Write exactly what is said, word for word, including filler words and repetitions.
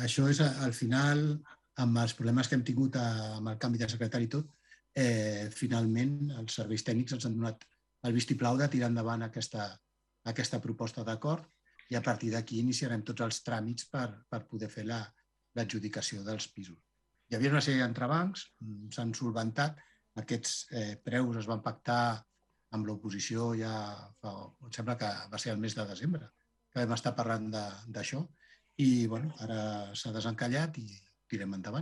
això és, al final, amb els problemes que hem tingut amb el canvi de secretari i tot, eh, finalment els serveis tècnics ens han donat el vistiplau de tirar endavant aquesta, aquesta proposta d'acord i a partir d'aquí iniciarem tots els tràmits per, per poder fer l'adjudicació la, dels pisos. Hi havia una sèrie d'entrebancs, s'han solventat, aquests eh, preus es van pactar amb l'oposició ja, fa, em sembla que va ser el mes de desembre, que vam estar parlant d'això i bueno, ara s'ha desencallat i tirem endavant.